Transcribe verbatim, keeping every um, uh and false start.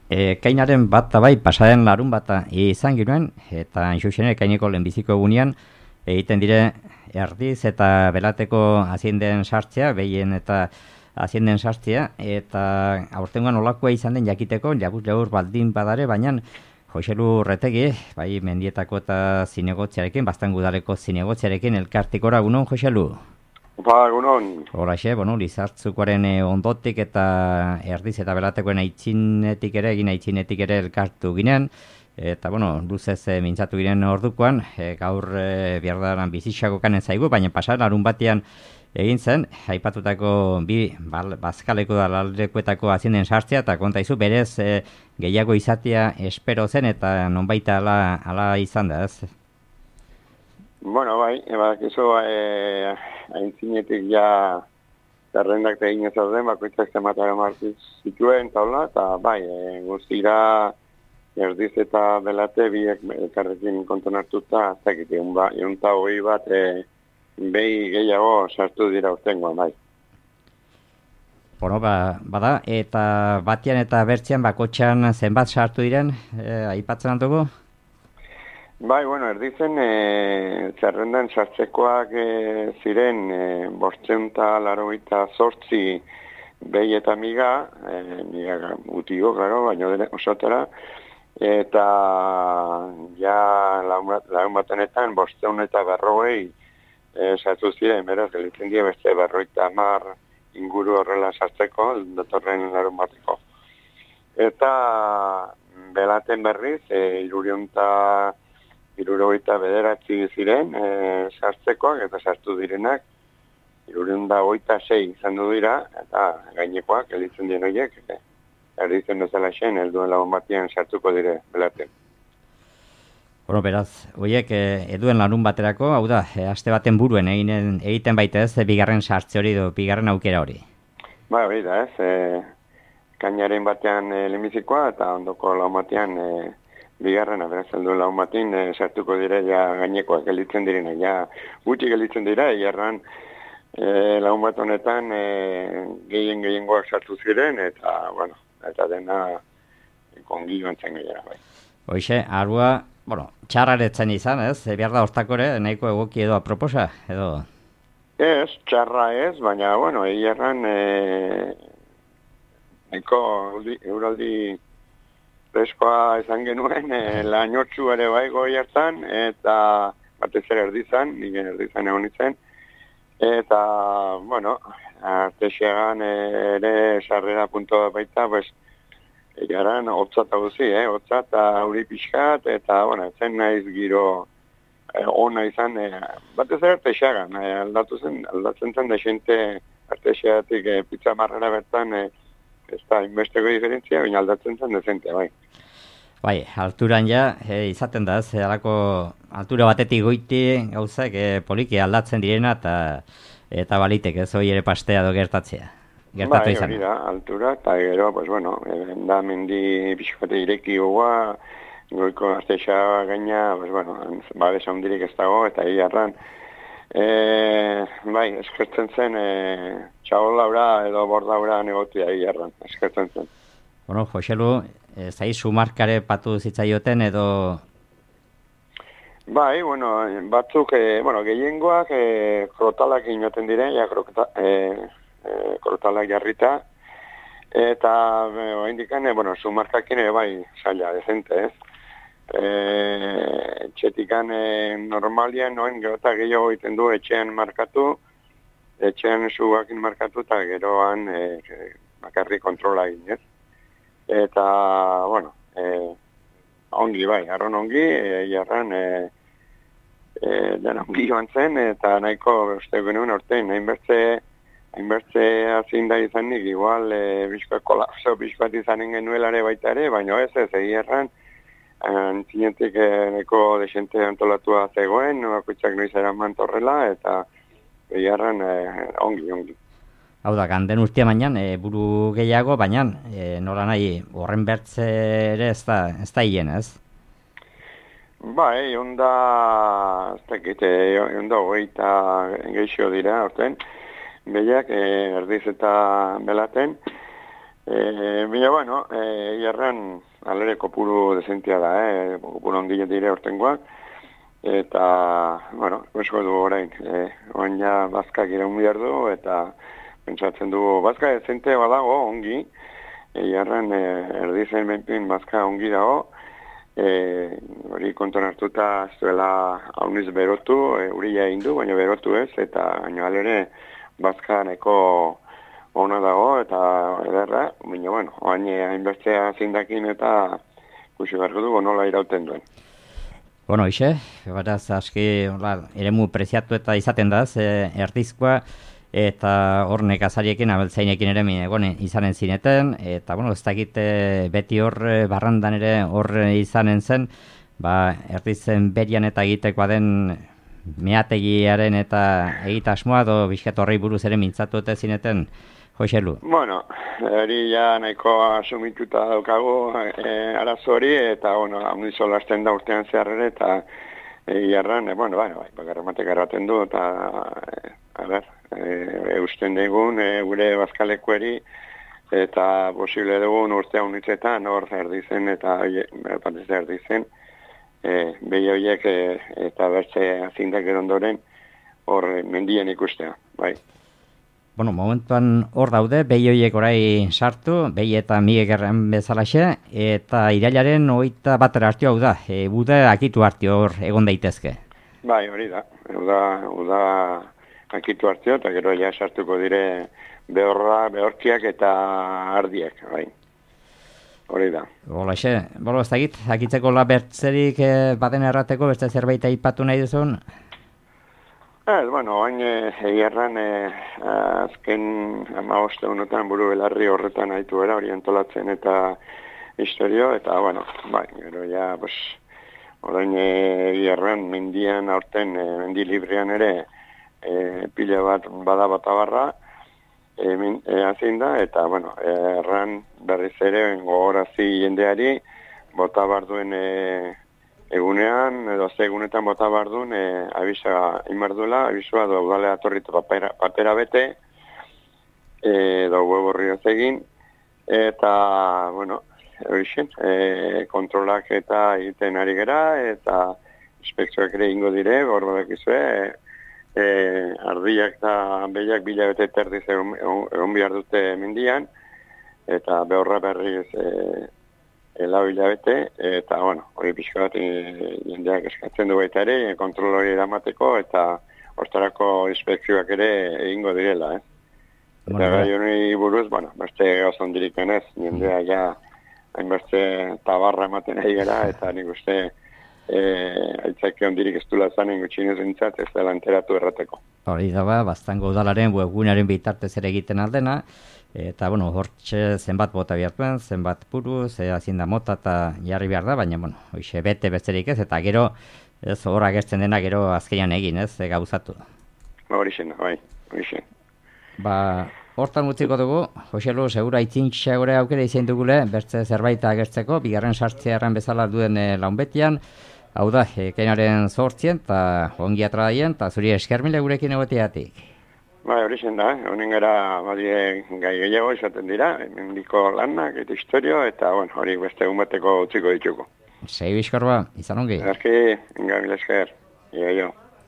Ekainaren bat bai, pasaren larun bata izan ginuen, eta inxuxene ekaineko lehenbiziko egunean egiten dire erdiz eta belateko azienden sartzea, behien eta azienden sartzea, eta aurtengoan olakoa izan den jakiteko, labur labur baldin badare, baina Joselu Retegi, bai mendietako eta zinegotziarekin, bastan gudaleko zinegotziarekin elkartikora, gunon, Joselu? Ba, egunon. Horaxe, bueno, Lizartzukoaren ondotik eta erdiz eta belatekoen aitzinetik ere, egin aitzinetik ere elkartu ginen, eta, bueno, luzez e, mintzatu ginen ordukoan, e, gaur e, biardaran bizitxako kanen zaigu, baina pasaren arun batean egin zen, aipatutako bi bal, bazkaleko da lalekuetako azienden sartzea, eta konta izu, berez e, gehiago izatea espero zen, eta nonbaita ala, ala izan da, ez? Bueno, bai, ebak iso, e, aintzinetik ja zerrendak egin ez den, bakoitzak zematara martiz zituen, taula, eta bai, e, guztira erdiz eta belate biek elkarrekin konton hartuta, ez dakit, egun ba, egunta hori bat, e, behi gehiago sartu dira urtengoan, bai. Bueno, ba, bada, eta batian eta bertzean bakotxan zenbat sartu diren, e, aipatzen aldugu? Bai, bueno, erdizen e, zerrendan sartzekoak e, ziren e, bortzeun eta larogeita zortzi behi eta miga, e, miga gutiko, klaro, baino dene osotera, eta ja lagun batenetan bortzeun eta berrogei e, sartu ziren, beraz, gelitzen dira beste berroita hamar inguru horrela sartzeko, datorren larun bateko. Eta belaten berriz, e, irurionta Irurogeita bederatzi ziren e, sartzekoak eta sartu direnak irurionda hogeita sei izan du dira eta gainekoak elitzen dien horiek e, erditzen dozela xen helduen lagun batian sartuko dire belaten. Bueno, beraz, horiek e, eduen larun baterako, hau da, e, aste baten buruen eginen, egiten baita ez, e, bigarren sartze hori edo bigarren aukera hori. Ba, hori da ez, e, kainaren batean e, lehenbizikoa eta ondoko lagun batean e, bigarrena, beraz, helduen lagun batin e, sartuko dire ja gainekoak gelitzen direna, ja gutxi gelitzen dira, egarran e, lagun bat honetan e, gehien gehiengoak sartu ziren, eta, bueno, eta dena kongi bantzen gehiara, bai. Hoxe, arua, bueno, txarraretzen izan, ez? E, behar da hortakore, nahiko egoki edo aproposa, edo? Ez, txarra ez, baina, bueno, egarran e, nahiko euraldi freskoa izan genuen, e, lainotxu ere bai goi hartan, eta batez ere erdizan, nire erdizan egon izen, eta, bueno, artesiagan ere sarrera punto baita, pues, egaran hotza eta guzi, eh, hotza eta hori pixkat, eta, bueno, zen naiz giro eh, ona izan, eh, batez ere artesiagan, eh, aldatu zen, aldatzen zen da xente artesiatik eh, pizza marrera bertan, eh, ez da, inbesteko diferentzia, baina aldatzen zen dezente, bai. Bai, alturan ja, e, izaten da, ez, alako altura batetik goiti gauzak e, poliki aldatzen direna, eta eta balitek, ez, hori ere pastea do gertatzea. Gertatu izan. Bai, hori da, altura, eta gero, pues bueno, da mendi pixkote ireki gogoa, goiko artesa gaina, pues bueno, babesa hundirik ez dago, eta egiarran, e, bai, eskertzen zen, e, txaolaura edo bordaura negotia egiarran, eskertzen zen. Bueno, Joselu, e, zai sumarkare patu zitzaioten edo? Bai, bueno, batzuk, e, bueno, gehiengoak e, krotalak inoten dire, ja, krota, e, e, krotalak jarrita, eta e, indikan, e, bueno, sumarkakin ere bai, saia, dezente, ez? E, txetikan e, normalian, noen, gero eta gehiago egiten du etxean markatu, etxean sugakin markatu, eta geroan e, bakarri kontrola egin, ez? Eta, bueno, e, ongi bai, arron ongi, e, jarran, e, e, den ongi joan zen, eta nahiko uste genuen ortein, hainbertze, hainbertze hazin da izanik, igual, e, bizkoa kolapso, bizkoat izanen genuelare baita ere, baina ez ez, egi erran, antzinetik e, nahiko desente antolatua zegoen, bakoitzak noiz eraman torrela, eta egi erran e, ongi, ongi. Hau da, ganden urtea mainan, e, buru gehiago, baina e, nola nahi horren bertze ere ez da, ez da hien, ez? Bai, onda, ez dakit, onda hogeita geixo dira, orten, behiak, e, erdiz eta belaten, E, Bila, bueno, e, jarran alere kopuru desentia da, eh? Kopuru ondile dire ortengoak, eta, bueno, esko du orain, e, oain ja bazkak iraun behar du, eta pentsatzen dugu, bazka dezente badago ongi, e, jarran e, erdizen benpin bazka ongi dago, e, hori konton hartuta ez duela hauniz berotu, e, uri egin du, baina berotu ez, eta baina alere bazka neko ona dago eta ederra, baina, bueno, oain hainbestea zindakin eta kusi beharko dugu nola irauten duen. Bueno, ixe, beraz, aski, hola, eremu preziatu eta izaten da, ze erdizkoa, eta hor nekazariekin, abeltzainekin ere, egon, izanen zineten, eta, bueno, ez dakit beti hor barrandan ere hor izanen zen, ba, erdizen berian eta egitekoa den meategiaren eta egitasmoa, do bizkat horrei buruz ere mintzatu eta zineten, Joselu. Bueno, hori ja nahiko asumituta daukagu e, arazo hori, eta, bueno, handizo lasten da urtean zeharrere, eta egiarran, e, bueno, bai, bai, bakarramatek erraten du, eta, e, a ber, e, eusten digun, e, gure bazkalekueri, eta posible dugun urtea unitzetan, hor erdizen, eta batez erdizen, e, behi horiek e, eta bertze azindak erondoren, hor mendien ikustea, bai. Bueno, momentuan hor daude, behi horiek orai sartu, behi eta mige gerren bezalaxe, eta irailaren hogeita batera hartio hau da, e, uda akitu hartio hor egon daitezke. Bai, hori da, uda, uda akitu hartio, eta gero ja sartuko dire behorra, behorkiak eta ardiak, bai. Hori da. Holaxe, bolo ez dakit, akitzeko labertzerik e, baden errateko, beste zerbait aipatu nahi duzun? Ez, bueno, bain egiarran e, azken hamaboste honetan buru belarri horretan haitu era, hori antolatzen eta historio, eta, bueno, bai, gero ja, pues, orain egiarran mendian aurten, e, mendi librean ere, e, pila bat bada batabarra, e, e, azin da, eta, bueno, erran berriz ere gogorazi jendeari, bota barduen e, egunean, edo ze egunetan bota bardun, e, abisa inmarduela, abisua do udalea torritu papera, papera bete, edo huevo ríoz egin, eta, bueno, horixen, e, kontrolak eta egiten ari gera, eta inspekzioak ere ingo dire, hor badakizue, e, e, ardiak eta behiak bila bete terdiz egon, egon behar dute mendian, eta behorra berriz e, lau hilabete, eta, bueno, hori pixka bat e, jendeak eskatzen du baita ere, kontrol hori eramateko, eta hortarako inspekzioak ere egingo direla, eh? Eta bueno, gai hori buruz, bueno, beste gozon diriken ez, jendea ja hainbeste tabarra ematen ari gara, eta nik uste e, aitzake ondirik ez dula zanen gutxinez entzat, ez dela enteratu errateko. Hori da ba, Baztango udalaren webgunearen bitartez ere egiten aldena, eta, bueno, hortxe zenbat bota bihartuen, zenbat puru, ze hazinda mota eta jarri behar da, baina, bueno, hoxe bete besterik ez, eta gero, ez hor agertzen dena gero azkenean egin, ez, e, gauzatu. Hori zen, bai, hori zen. Ba, hortan utziko dugu, Joselu, segura itzintxa gore aukera izan dugule, bertze zerbait agertzeko, bigarren sartzearen bezala duen e, launbetian, hau da, ekainaren zortzien, eta ongi atradaien, eta zuri eskermile gurekin egoteatik. Bai, hori zen da, honen gara badie gai gehiago izaten dira, mendiko lanak eta historio, eta bueno, hori beste egun bateko utziko dituko. Sei bizkor ba, izan ongi. Ezki, inga mila esker, ia jo.